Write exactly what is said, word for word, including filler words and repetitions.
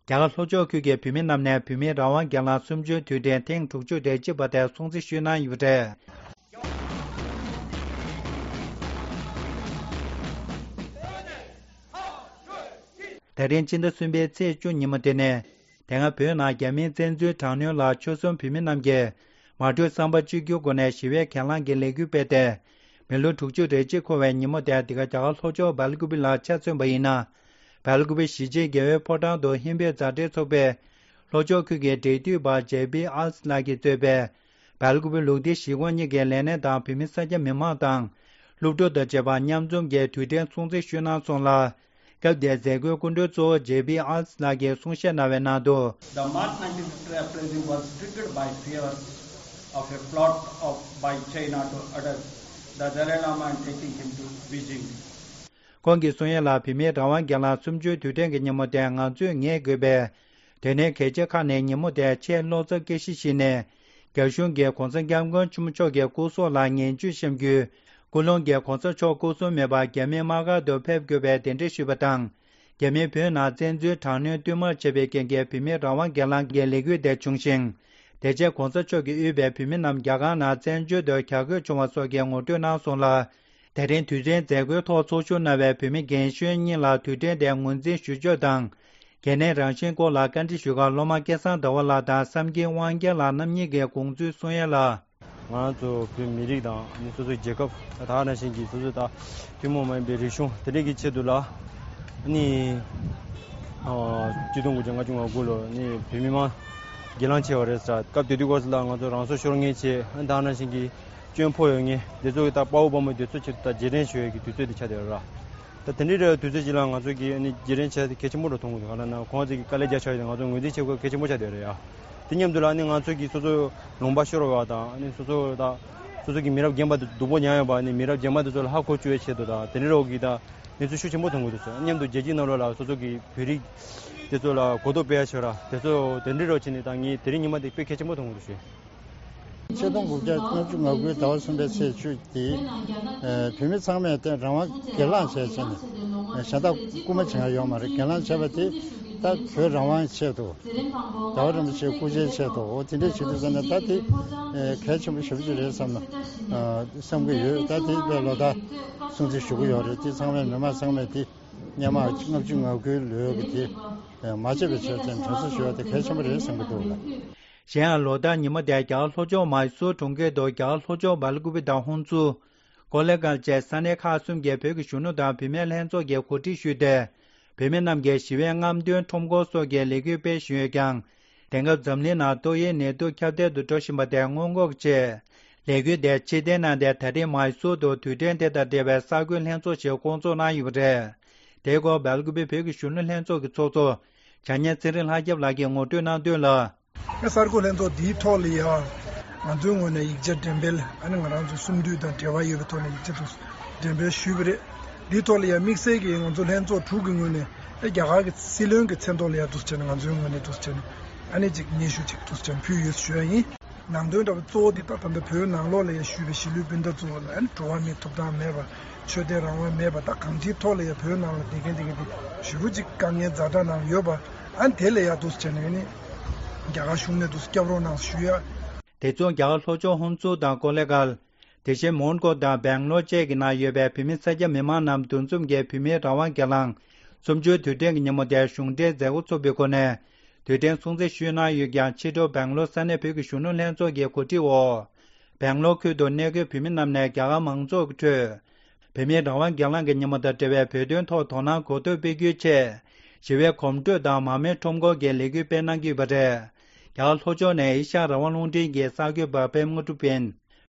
རྒྱ་གར་ལྷོ་ཕྱོགས་ཁུལ་གྱི་བོད་མི་རྣམས་ནས་བོད་མིའི་རང་དབང་སྒེར་ལངས་གསུམ་བཅུའི་དུས་དྲན་ཐེངས་དྲུག་ཅུ་རེ་གཅིག་པ་དེ་སྲུང་བརྩི་ཞུས་གནང་ཡོད་པ་རེད། ད་རིང་སྤྱི་ཟླ་གསུམ་པའི་ཚེས་བཅུ་ཉིན་མོ་དེ་ནི། དེ་སྔ་བོད་ནང་རྒྱ་མིའི་བཙན་འཛུལ་དྲག་གནོན་ལ་ཆོལ་གསུམ་བོད་མི་རྣམས་ཀྱིས་མ་གྲོས་བསམ་པ་གཅིག་གྱུར་སྒོ་ནས་ཞི་བའི་གྱེན་ལངས་ཀྱི་ལས་འགུལ་སྤེལ་ཏེ། མི་ལོ་དྲུག་ཅུ་རེ་གཅིག་འཁོར་བའི་ཉིན་མོ་དེ་འདི་ག་རྒྱ་གར་ལྷོ་ཕྱོགས་སྦེལ་ཀུ་པེ་ལ་ཆ་མཚོན་པ་ཡིན་ན། སྦེལ་ཀུ་པེ་གཞིས་བྱེས་རྒྱལ་བའི་ཕོ་བྲང་དུ་ཧིན་བོད་མཛའ་འབྲེལ་ཚོགས་པའི་ལྷོ་ཕྱོགས་ཁུལ་གྱི་འབྲེལ་མཐུད་པ་ཇེ་པི་ཨལ་སི་ལགས་ཀྱིས་གཙོས་པའི་སྦེལ་ཀུ་པེ་ལུགས་བདེ་གཞིས་ཁོངས་གཉིས་ཀྱི་ལས་སྣེ་དང་བོད་མི་སེར་སྐྱ་མི་མང་དང་། སློབ་ཕྲུག་དང་བཅས་པ་མཉམ་འཛོམས་ཀྱིས་དུས་དྲན་སྲུང་བརྩི་ཞུས་གནང་སོང་ལ། སྐབས་དེའི་མཛད་སྒོའི་སྐུ་མགྲོན་གཙོ་བོ་ཇེ་པི་ཨལ་སི་ལགས་ཀྱིས་གསུང་བཤད་གནང་བའི་ནང་དུ། The March nineteenth uprising was triggered by fears of a plot of, by China to abduct the Dalai Lama and taking him to Beijing. ཁོང་གིས་གསུང་ཡ་ལ། བོད་མིའི་རང་དབང་སྒེར་ལངས་གསུམ་བཅུའི་དུས་དྲན་གྱི་ཉིན་མོ་དེ་ང་ཚོས་ངེས་དགོས་པས། དེ་ནས་གལ་ཆེ་ཁག་ནས་ཉིན་མོ་དེ་ཆེས་བློ་འཚབ་སྐྱེ་གཞི་ཞིག་ནས། རྒྱ་གཞུང་གིས་གོང་ས་སྐྱབས་མགོན་ཆེན་པོ་མཆོག་གི་སྐུ་སྲོག་ལ་ངན་ཇུས་བཤམས་རྒྱུའི་སྐུ་རླུང་གིས་གོང་ས་མཆོག་སྐུ་སྲུང་མེད་པར་རྒྱ་མིའི་དམག་སྒར་དུ་ཕེབས་དགོས་པའི་གདན་འདྲེན་ཞུས་པ་དང་། རྒྱ་མིས་བོད་ནང་བཙན་འཛུལ་དྲག་གནོན་བསྟུད་མར་བྱས་པའི་རྐྱེན་གྱིས་བོད་མིའི་རང་དབང་སྒེར་ལངས་ཀྱི་ལས་འགུལ་དེ་བྱུང་ཞིང་། དེ་རྗེས་གོང་ས་མཆོག་གིས་དབུས་པའི་བོད་མི་རྣམས་རྒྱ་གར་ནང་བཙན་བྱོལ་དུ་གྱར་དགོས་བྱུང་བ་སོགས་ཀྱི་ངོ་སྤྲོད་གནང་སོང་ལ། དེ་རིང་དུས་དྲན་མཛད་སྒོའི་ཐོག་ཚོགས་ཞུགས་གནང་བའི་བོད་མི་རྒན་གཞོན་གཉིས་ལ་དུས་དྲན་དེ་ངོས་འཛིན་ཞུ་ཕྱོགས་དང་། གལ་གནད་རང་བཞིན་སྐོར་ལ་བཀའ་འདྲི་ཞུ་སྐབས་སློབ་མ་སྐལ་བཟང་ཟླ་བ་ལགས་དང་བསམ་གྱི་དབང་རྒྱལ་ལགས་རྣམ་གཉིས་ཀྱིས་དགོངས་ཚུལ་གསུང་ཡ་ལ། ང་ཚོ་བོད་མི་རིགས་དང་ནི་སོ་སོའི་རྒྱལ་ཁབ་ད་ག་ནང་བཞིན་གྱི་སོ་སོའི་ད་ཐུན་མོང་མ་ཡིན་པའི་རིག་གཞུང་དེ་འདྲས་ཀྱི་ཆེད་དུ་ལ་ནི་ཆིག་སྟོང་དགུ་བརྒྱ་ལྔ་བཅུ་ང་དགུ་ལོ་ནི་བོད་མི་མང་སྒེར་ལངས་བྱས་པ་རེད་ཟེར། སྐབས་དེ་དུས་སྐབས་སུ་ལ་ང་ཚོ་རང་སྲོག་ཤོར་མཁན་བྱས། ད་ག་ནང་བཞིན་གྱི་སྐྱོན་ཕོག་ཡོད་མཁན་དེ་ཚོ་གི་ད་དཔའ་བོ་དཔའ་མོ་དེ་ཚོ་ཆེད་དུ་ད་རྗེས་དྲན་ཞུ་ཡས་ཀྱི་དུས་ཚོད་དེ་ཆགས་བསྡད་ཡོད་ར། ད་དེ་འདྲའི་རེ་བ་དུས་ཚོད་ཅིག་ལ་ང་ཚོ་གིས་ཨ་ནི་རྗེས་དྲན་བྱས་ཏེ་གལ་ཆེན་པོ་འདྲ་མཐོང་གི་འདུག་ག་ལ་ན་ཁོང་ཚོ་གིས་དཀའ་ལས་རྒྱག་ཆགས་ཡོད་དེ་ང་ཚོ་ངོས་འཛིན་བྱེད་དགོས་གལ་ཆེན་པོ་ཆགས་བསྡད་ཡོད་རེད་ཡ། དེ་མཉམ་དུ་ལ་ཨ་ནི་ང་ཚོ་གིས་སོ་སོ་ལུང་པ་ཤོར་བ་དང་ཨ་ནི་སོ་སོ་དང་སོ་སོ་གི་མི་རབས་རྒན་པ་དེ་སྡུག་པོ་མྱངས་ཡོད་པ་ཨ་ནི་མི་རབས་རྗེས་མ་དེ་ཚོ་ལ་ཧ་གོ་བཅུག་ཡའི་ཆེད་དུ་དང་དེ་འདྲའི་རོགས་ཀྱིས་ད་གནས་ཚུལ་ཤུགས་ཆེན་པོ་མཐོང་གི་འདུག་ཟེར། མཉམ་དུ་རྒྱལ་སྤྱིའི་ནང་ལོགས་ལ་སོ་སོ་གི་བོད་རིགས་དེ་ཚོ་ལ་གོ་རྟོགས་སྤེལ་ཡ་བྱོས་ར་དེ་ཚོ་དེ་འདྲའི་རོགས་བྱས་ནས་ད་ངས་དེ་རིང་ཉི་མ་དེ་དཔེ་གལ་ཆེན་པོ་མཐོང་གི་འདུག་ཞུ། ཆིག་སྟོང་དགུ་བརྒྱ་ལྔ་བཅུ་ང་དགུའི་ཟླ་བ་གསུམ་པའི་ཚེས་བཅུ་དེ། ཨ། བོད་མི་ཚང་མས་དེ་རང་དབང་སྒེར་ལངས་བྱས་བྱས་ནས། ཨ། གཞན་དག་སྐུལ་མ་བྱེད་ཡ་ཡོད་མ་རེད། སྒེར་ལངས་བྱས་པ་དེ་ད་བོད་རང་དབང་ཆེད་དུ། རྒྱལ་བ་རིན་པོ་ཆེའི་སྐུ་ཕྱྭའི་ཆེད་དུ། འོ་དེ་འདྲས་བྱེད་དུས་ཙམ་ནས་ད་དེ། ཨ། གལ་ཆེན་པོ་ཞེ་པོ་ཅིག་རེད་བསམ་ན། ཨ། བསམ་གྱི་ཡོད། ད་དེ་དཔེ་ལོ་ཟླ་སྲུང་བརྩི་ཞུ་གི་ཡོད་རེད། དེ་ཚང་མས་མི་མང་ཚང་མས་དེ། སྔོན་མ་ལྔ་བཅུ་ང་དགུའི་ལོའི་གི་དེ་མ་བརྗེད་པའི་ཆེད་དུ་དྲན་གསོ་ཞུ་བ་དེ་གལ་ཆེན་པོ་རེད་བསམ་གྱི་འདུག་ལ། གཞན་ཡང་ལོ་ལྟར་ཉིན་མོ་དེ་རྒྱ་གར་ལྷོ་ཕྱོགས་མཱི་སུར་གྲོང་ཁྱེར་དུ་རྒྱ་གར་ལྷོ་ཕྱོགས་སྦེལ་ཀུ་པེ་དང་ཧོན་སུར། ཀོ་ལེ་གྷལ་བཅས་ས་གནས་ཁག་གསུམ་གྱི་བོད་ཀྱི་གཞོན་ནུ་དང་བུད་མེད་ལྷན་ཚོགས་ཀྱིས་གོ་སྒྲིག་ཞུས་ཏེ། བོད་མི་རྣམས་ཀྱིས་ཞི་བའི་རྔམ་སྟོན་ཁྲོམ་སྐོར་སོགས་ཀྱི་ལས་འགུལ་སྤེལ་བཞིན་ཡོད་ཀྱང་། དེང་སྐབས་འཛམ་གླིང་ནང་ཏོག་དབྱིབས་ནད་དུག་ཁྱབ་གདལ་དུ་འགྲོ་བཞིན་པ་དེ་སྔོན་འགོག་ཆེད། ལས་འགུལ་དེ་ཕྱིར་འཐེན་གནང་སྟེ་ད་རེས་མཱི་སུར་དུ་དུས་དྲན་དེ་དང་འབྲེལ་བའི་གསར་འགོད་ལྷན་ཚོགས་ཤིག་བསྐོང་ཚོགས་གནང་ཡོད་པ་རེད། དེའི་སྐོར་སྦེལ་ཀུ་པེ་བོད་ཀྱི་གཞོན་ནུ་ལྷན་ཚོགས་ཀྱི་ཚོགས་གཙོ། བྱ་ཉན་ཚེ་རིང་ལྷ་སྐྱབས་ལགས་ཀྱིས་ངོ་སྤྲོད་གནང་དོན་ལ། གསར་འགོད་ལྷན་ཚོགས་འདིའི་ཐོག་ལ་ཡང་ང་ཚོའི་ངོས་ནས་ཡིག་ཆ་འགྲེམས་སྤེལ། ཨ་ནི་ང་རང་ཚོ་གསུམ་འདུས་དང་འབྲེལ་བ་ཡོད་པའི་ཐོག་ནས་ཡིག་ཆ་དུ་འགྲེམས་སྤེལ་ཞུས་པ་རེད། འདིའི་ཐོག་ལ་ཡང་དམིགས་བསལ་གྱིས་ང་ཚོ་ལྷན་ཚོགས་དྲུག་གི་ངོས་ནས་ཨ་རྒྱ་གར་གྱི་སྲིད་བློན་གྱི་མཚན་ཐོག་ལ་ཡང་འདུག་བྱས་ནས་ང་ཚོའི་ངོས་ནས་འདུག་བྱས་ནས་ཨ་ནི་ཅིག་སྙན་ཞུ་ཅིག་འདུག་བྱས་ནས་ཕུལ་ཡོད་ཞུ་ཡ་ཡིན། ནང་དོན་འདྲ་བོ་གཙོ་བོ་འདི་ལྟར་ད་ལྟ་བོད་ནང་ལོགས་ལ་ཡང་ཞུས་པའི་གཞིས་ལུས་སྤུན་ཟླ་ཚོ་ལ་ཨ་ནི་འགྲོ་བ་མིའི་ཐོབ་ཐང་མེད་པ། ཆོས་དད་རང་དབང་མེད་པ། ད་གང་ཅིའི་ཐོག་ལ་ཡང་བོད་ནང་ལ་བསྡད་མཁན་དེ་ག་དེ་ཞེ་པོ་ཅིག་དཀའ་ངལ་ཛ་དྲག་ནང་ཡོད་པ། ཨ་ནི་དེ་ལ་ཡང་འདུག་བྱས་ནས་ནི་རྒྱ་གར་གཞུང་ནས་འདུག་སྐྱབས་རོགས་གནང་ཞུ་ཡ། དེ་མཚུངས་རྒྱ་གར་ལྷོ་ཕྱོགས་ཧོན་སུར་དང་ཀོ་ལེ་གྷལ། དེ་བཞིན་མོན་གྷོ་དང་སྦེང་ལོར་བཅས་ཀྱི་ནང་ཡོད་པའི་བོད་མི་སེར་སྐྱ་མི་མང་རྣམས་འདུ་འཛོམས་ཀྱིས་བོད་མིའི་རང་དབང་སྒེར་ལངས་གསུམ་བཅུའི་དུས་དྲན་གྱི་ཉིན་མོ་དེར་གཞུང་འབྲེལ་མཛད་སྒོ་ཚོགས་པའི་སྒོ་ནས་དུས་དྲན་སྲུང་བརྩི་ཞུས་གནང་ཡོད་ཀྱང་། ཕྱི་དྲོ་སྦེང་ལོར་ས་གནས་བོད་ཀྱི་གཞོན་ནུ་ལྷན་ཚོགས་ཀྱི་གོ་སྒྲིག་འོག་སྦེང་ལོར་ཁུལ་དུ་གནས་འཁོད་བོད་མི་རྣམས་ནས་རྒྱ་གར་མང་ཚོགས་ཀྱི་ཁྲོད། བོད་མིའི་རང་དབང་སྒེར་ལངས་ཀྱི་ཉིན་མོ་དང་འབྲེལ་བའི་བོད་དོན་ཐོག་དོ་སྣང་གོ་རྟོགས་སྤེལ་རྒྱུའི་ཆེད། ཞི་བའི་གོམ་བགྲོད་དང་མར་མེ་ཁྲོམ་སྐོར་གྱི་ལས་འགུལ་སྤེལ་གནང་གི་ཡོད་པ་རེད། རྒྱ་གར་ལྷོ་ཕྱོགས་ནས་ཨེ་ཤ་ཡ་རང་དབང་རླུང་འཕྲིན་གྱི་གསར་འགོད་པ་པད་མ་དངོས་གྲུབ་ཡིན།